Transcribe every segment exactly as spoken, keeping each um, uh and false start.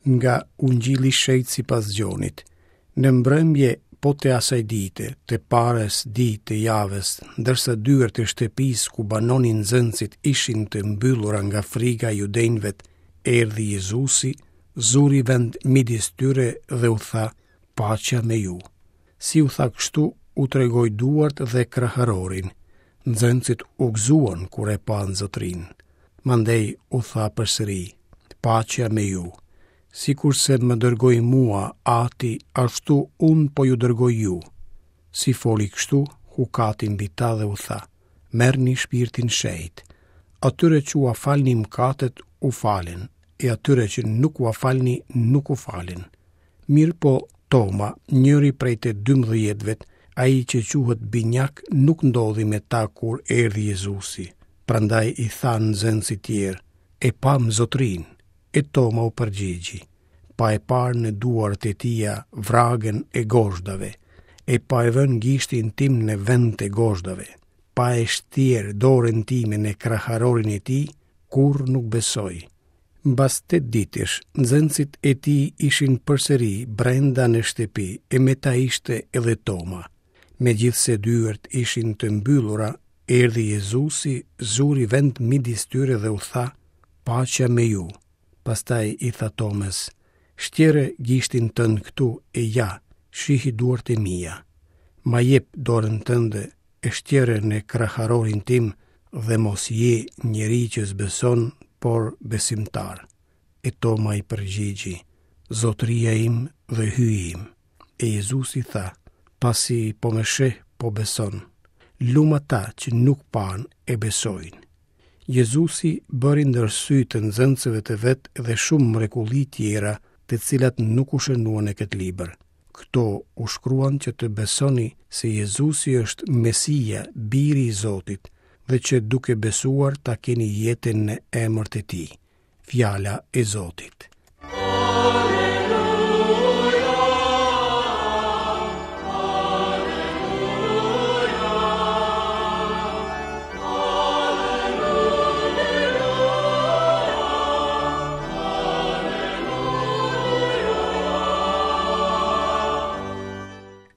Nga Ungjilli i Shenjtë sipas Gjonit. Në mbrëmje po të asaj dite, të parës ditë të javës, ndërsa dyert e shtëpisë ku banonin nxënësit ishin të mbyllura nga frika e judenjve, erdhi Jezusi, zuri vend midis tyre dhe u tha: "Paqja me ju." Si u tha kështu, u tregoi duart dhe kraharorin. Nxënësit u gëzuan kur e panë Zotërinë. Mandej u tha përsëri: "Paqja me ju." Sikurse më dërgoi mua Ati, ashtu unë po ju dërgoj ju. Si foli kështu, hukati mbi ta dhe u tha: "Merrni Shpirtin Shenjt. Atyre që ua falni mëkatet, u falen, e atyre që nuk ua falni, nuk u falen." Mirëpo Toma, njëri prej të dymbëdhjetëve, ai që quhet Binjak, nuk ndodhi me ta kur erdhi Jezusi. Prandaj i thanë nxënësit tjerë: "E pamë Zotërinë." E Toma u përgjigji: "Pa e parë në duart e tija vragën e gozhdave, e pa e vënë gishtin tim në vend të gozhdave, pa e shtjerë dorën time në kraharorin e tij, kurrë nuk besoj." Mbas tetë ditësh, nxënësit e tij ishin përsëri brenda në shtëpi, e me ta ishte edhe Toma. Megjithëse dyert ishin të mbyllura, erdhi Jezusi, zuri vend midis tyre dhe u tha: "Paqja me ju." Pastaj i tha Tomës: "Shtjere gishtin tënd këtu e ja, shihi duart e mia. Ma jep dorën tënde e shtjere në kraharorin tim dhe mos je njeri që s'beson, por besimtar." E Toma i përgjigji: "Zotëria im dhe Hyji im." E Jezusi tha: "Pasi po më sheh, po beson. Lum ata që nuk panë e besojnë." Jezusi bëri ndër sy të nxënësve të vet edhe shumë mrekulli tjera, të cilat nuk u shënuan në këtë libër. Këto u shkruan që të besoni se Jezusi është Mesia, Biri i Zotit, dhe që duke besuar ta keni jetën në emër të tij. Fjala e Zotit.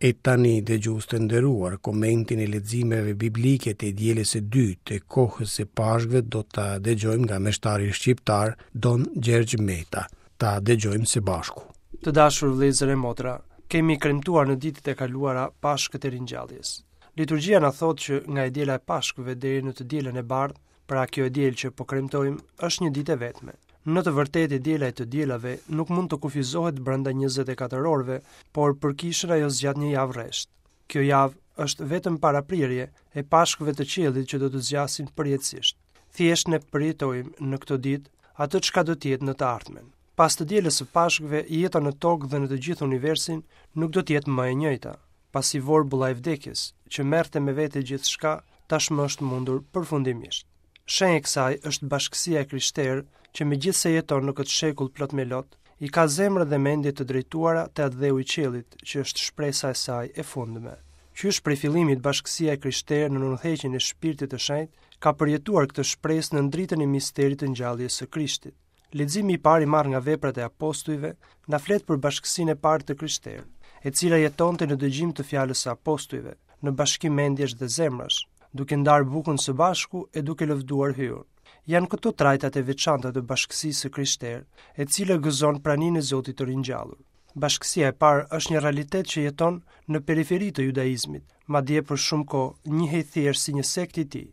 E tani, dëgjues të nderuar, komentin e leximeve biblike të dielës së dytë të kohës së Pashkëve do ta dëgjojmë nga meshtari shqiptar Don Gjergj Meta. Ta dëgjojmë së bashku. Të dashur vëllezër e motra, kemi kremtuar në ditët e kaluara Pashkët e Ringjalljes. Liturgjia na thotë që nga e diela e Pashkëve deri në të dielën e bardhë, pra kjo e diel që po kremtojmë, është një ditë e vetme. Në të vërtetë e diela e të dielave nuk mund të kufizohet brenda njëzet e katër orëve, por për kishën ajo zgjat një javë rresht. Kjo javë është vetëm paraprirje e Pashkëve të qiellit që do të zgjasin përjetësisht. Thjesht ne përjetojmë në këto ditë atë çka do të jetë në të ardhmen. Pas të dielës së Pashkëve, jeta në tokë dhe në të gjithë universin nuk do të jetë më e njëjta, pasi vorbulla e vdekjes, që merrte me vete gjithçka, tashmë është mundur përfundimisht. Shenjë e kësaj është bashkësia e krishterë që megjithëse jeton në këtë shekull plot me lot, i ka zemrën dhe mendjet të drejtuara te atdheu i qiellit, që është shpresa e saj e fundme. Qysh prej fillimit bashkësia e krishterë në udhëheqjen e Shpirtit të Shenjtë ka përjetuar këtë shpresë në dritën e misterit të ngjalljes së Krishtit. Leximi i parë i marrë nga veprat e apostujve na flet për bashkësinë e parë të krishterë, e cila jetonte në dëgjim të fjalës së apostujve, në bashkim mendjesh dhe zemrash, duke ndarë bukën së bashku e duke lëvduar Hyun. Janë këto trajtat e veçanta të bashkësisë së krishterë, e cila gëzon praninë e Zotit të ringjallur. Bashkësia e parë është një realitet që jeton në periferi të judaizmit, madje për shumë kohë njihej thjesht si një sekt i tij.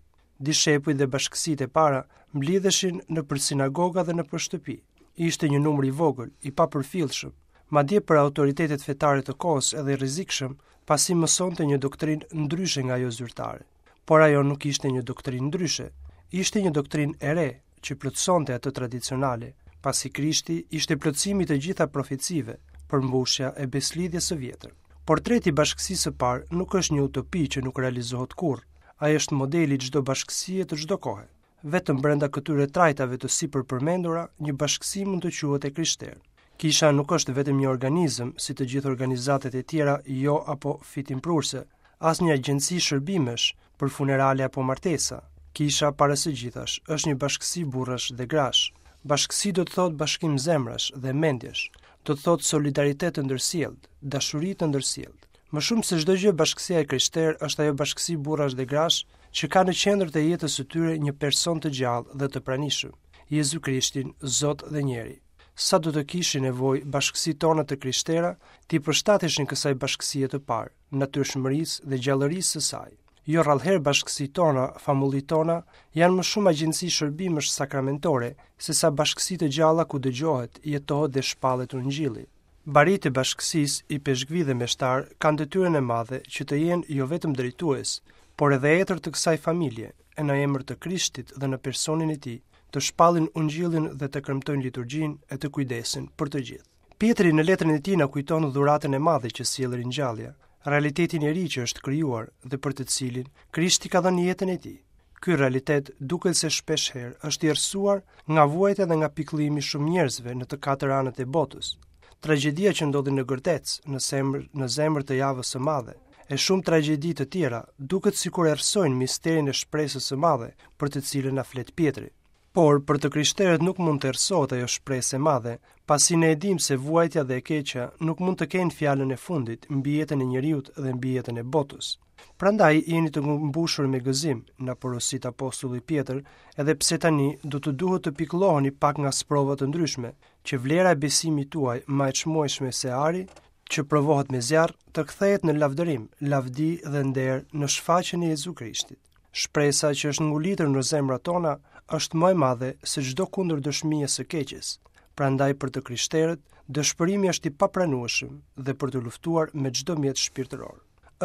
Dishepujt dhe bashkësitë e para mblidheshin nëpër sinagoga dhe nëpër shtëpi. Ishte një numër i vogël, i papërfillshëm, madje për autoritetet fetare të kohës edhe i rrezikshëm, pasi mësonte një doktrinë ndryshe nga ajo zyrtare. Por ajo nuk ishte një doktrinë ndryshe, ishte një doktrinë e re që plotësonte atë tradicionale, pasi Krishti ishte plotësimi i të gjitha profecive, përmbushja e beslidhjes së vjetër. Portreti i bashkësisë së parë nuk është një utopi që nuk realizohet kurrë. Ai është modeli i çdo bashkësie të çdo kohe. Vetëm brenda këtyre trajtave të sipërpërmendura, një bashkësi mund të quhet e krishterë. Kisha nuk është vetëm një organizëm, si të gjithë organizatat e tjera jo apo fitimprurse, as një agjenci shërbimesh për funerale apo martesa. Kisha para së gjithash është një bashkësi burrash dhe grash, Bashkësi do të thotë bashkim zemrash dhe mendjesh, do të thotë solidaritet të ndërsjelltë, dashuri të ndërsjelltë. Më shumë se çdo gjë bashkësia e krishterë është ajo bashkësi burrash dhe grash që ka në qendër të jetës së tyre një person të gjallë dhe të pranishëm, Jezu Krishtin, Zot dhe njeri. Sa do të kishin nevojë bashkësitë tona të krishtera t'i përshtateshin kësaj bashkësie të parë, natyrshmërisë dhe gjallërisë së saj. Jo rrallëherë bashkësitë tona, famullitë tona, janë më shumë agjenci shërbimesh sakramentore se sa bashkësi të gjalla ku dëgjohet, jetohet dhe shpallet ungjilli. Baritë e bashkësisë, ipeshkvi dhe meshtar, kanë detyrën e madhe që të jenë jo vetëm drejtues, por edhe etër të kësaj familje, e në emër të Krishtit dhe në personin e tij, të shpallin ungjillin dhe të kremtojnë liturgjinë e të kujdesen për të gjithë. Pjetri në letrën e tij na kujton dhuratën e madhe që sjell ringjallja, realitetin e ri që është krijuar dhe për të cilin Krishti ka dhënë jetën e tij. Ky realitet duket se shpesh herë është i errësuar nga vuajtja dhe nga pikëllimi i shumë njerëzve në të katër anët e botës. Tragjedia që ndodhi në Gërdec, në zemër, në zemër të javës së madhe, e shumë tragjedi të tjera, duket sikur errësojnë misterin e shpresës së madhe për të cilën na flet Pjetri. Por për të krishterët nuk mund të errësohet ajo shpresë e madhe, pasi ne e dimë se vuajtja dhe e keqja nuk mund të kenë fjalën e fundit mbi jetën e njeriut dhe mbi jetën e botës. Prandaj jeni të mbushur me gëzim, na porosit apostulli Pjetër, edhe pse tani do të duhet të pikëlloheni pak nga sprova të ndryshme, që vlera e besimit tuaj më e çmueshme se ari, që provohet me zjarr, të kthehet në lavdërim, lavdi dhe nder në shfaqjen e Jezu Krishtit. Shpresa që është ngulitur në zemrat tona është më e madhe se çdo kundërdëshmi e së keqes. Prandaj për të krishterët, dëshpërimi është i papranueshëm dhe për të luftuar me çdo mjet shpirtëror.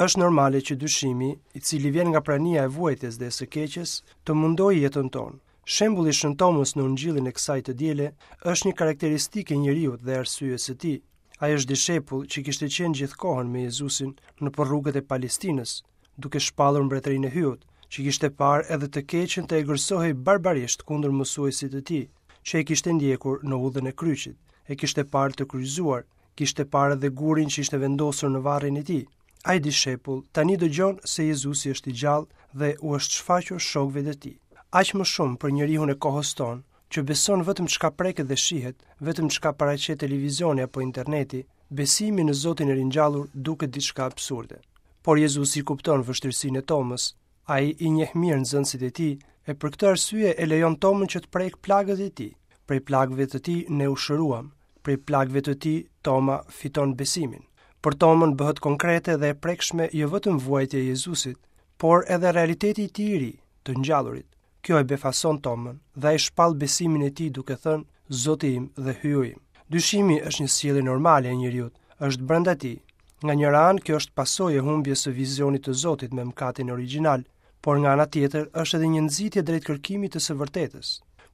Është normale që dyshimi, i cili vjen nga prania e vuajtjes dhe e së keqes, të mundojë jetën tonë. Shembulli i Shën Tomës në Ungjillin e kësaj të diele është një karakteristikë e njeriut dhe arsyes së tij. Ai është dishepull që kishte qenë gjithkohën me Jezusin në rrugët e Palestinës, duke shpallur mbretërinë e Hyut, që kishte parë edhe të keqen të egërsohej barbarisht kundër mësuesit të tij, që e kishte ndjekur në udhën e kryqit, e kishte parë të kryqëzuar, kishte parë edhe gurin që ishte vendosur në varrin e tij. Ai dishepull tani dëgjon se Jezusi është i gjallë dhe u është shfaqur shokëve të tij. Aq më shumë për njeriun e kohës tonë, që beson vetëm çka preket dhe shihet, vetëm çka paraqet televizioni apo interneti, besimi në Zotin e ringjallur duket diçka absurde. Por Jezusi kupton vështirësinë e Tomës, ai i njeh mirë nxënësit e tij, e për këtë arsye e lejon Tomën që të prek plagët e tij. Prej plagëve të tij ne u shëruam, prej plagëve të tij Toma fiton besimin. Për Tomën bëhet konkrete dhe e prekshme jo vetëm vuajtja e Jezusit, por edhe realiteti i tij i ri, të ngjallurit. Kjo e befason Tomën dhe ai shpall besimin e tij duke thënë Zoti im dhe Hyu im. Dyshimi është një sjellje normale e njeriut, është brenda tij. Nga njëra anë kjo është pasojë e humbjes së vizionit të Zotit me mëkatin origjinal, por nga ana tjetër është edhe një nxitje drejt kërkimit të së vërtetës.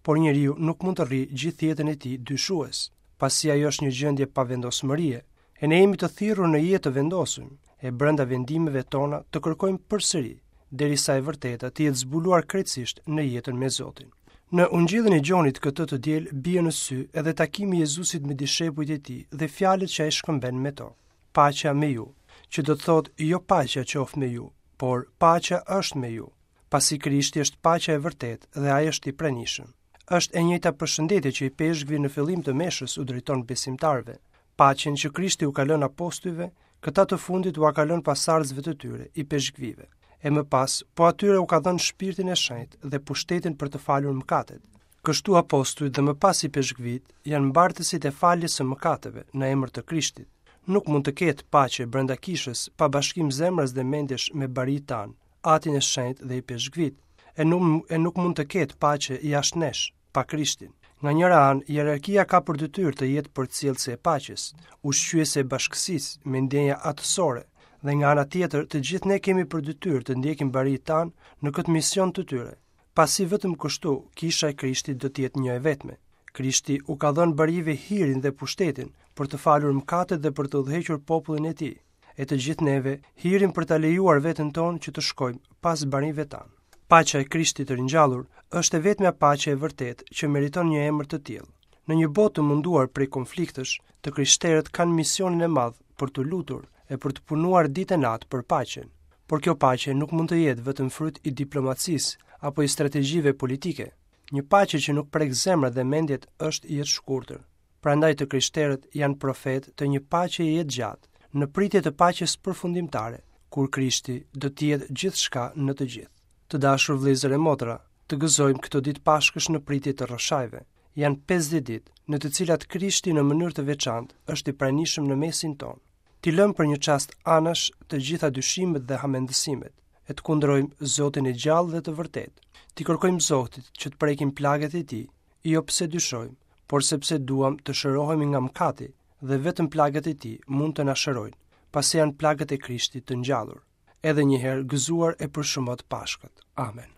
Por njeriu nuk mund të rri gjithë jetën e tij dyshues, pasi ajo është një gjendje pavendosmërie, e ne jemi të thirrur në jetë të vendosur, e brenda vendimeve tona të kërkojmë përsëri, derisa e vërteta të jetë zbuluar krejtësisht në jetën me Zotin. Në Ungjillin e Gjonit këtë të diel bie në sy edhe takimi i Jezusit me dishepujt e tij dhe fjalët që ai shkëmben me to. Paqja me ju, që do të thotë jo paqja qoftë me ju, por paqja është me ju, pasi Krishti është paqja e vërtetë dhe ai është i pranishëm. Është e njëjta përshëndetje që ipeshkvi në fillim të meshës u drejton besimtarëve. Paqen që Krishti u ka lënë apostujve, këta të fundit ua ka lënë pasardhësve të tyre, ipeshkvive. E më pas, po atyre u ka dhënë shpirtin e shenjtë dhe pushtetin për të falur mëkatet. Kështu apostujt dhe më pas ipeshkvit janë mbartësit e faljes së mëkateve në emër të Krishtit. Nuk mund të ketë paqe brenda kishës pa bashkim zemrës dhe mendjesh me barit tanë, Atin e Shenjtë dhe ipeshkvit, e nuk, e nuk mund të ketë paqe jashtë nesh, pa Krishtin. Nga njëra anë, hierarkia ka për detyrë të jetë përcjellëse e paqes, ushqyese e bashkësisë me ndjenja atësore, dhe nga ana tjetër, të gjithë ne kemi për detyrë të ndjekim barit tanë në këtë mision të tyre, pasi vetëm kështu kisha e Krishtit do të jetë një e vetme. Krishti u ka dhënë barive hirin dhe pushtetin për të falur mëkatet dhe për të udhëhequr popullin e tij, e të gjithë neve hirin për ta lejuar veten tonë që të shkojmë pas barive tanë. Paqja e Krishtit të ringjallur është e vetmja paqe e vërtetë që meriton një emër të tillë. Në një botë të munduar prej konfliktesh, të krishterët kanë misionin e madh për të lutur e për të punuar ditë e natë për paqen. Por kjo paqe nuk mund të jetë vetëm fryt i diplomacisë apo i strategjive politike. Një paqe që nuk prek zemrat dhe mendjet është jetëshkurtër. Prandaj të krishterët janë profetë të një paqe jetëgjatë, në pritje të paqes përfundimtare, kur Krishti do të jetë gjithçka në të gjithë. Të dashur vëllezër e motra, të gëzojmë këto ditë Pashkësh në pritje të rrëshajve. Janë pesëdhjetë ditë në të cilat Krishti në mënyrë të veçantë është i pranishëm në mesin tonë. T'i lëmë për një çast anash të gjitha dyshimet dhe hamendësimet, e të kundrojmë Zotin e gjallë dhe të vërtetë. T'i kërkojmë Zotit që të prekim plagët e tij, jo pse dyshojmë, por sepse duam të shërohemi nga mëkati dhe vetëm plagët e tij mund të na shërojnë, pasi janë plagët e Krishtit të ngjallur. Edhe një herë gëzuar e për shumot Pashkët. Amen.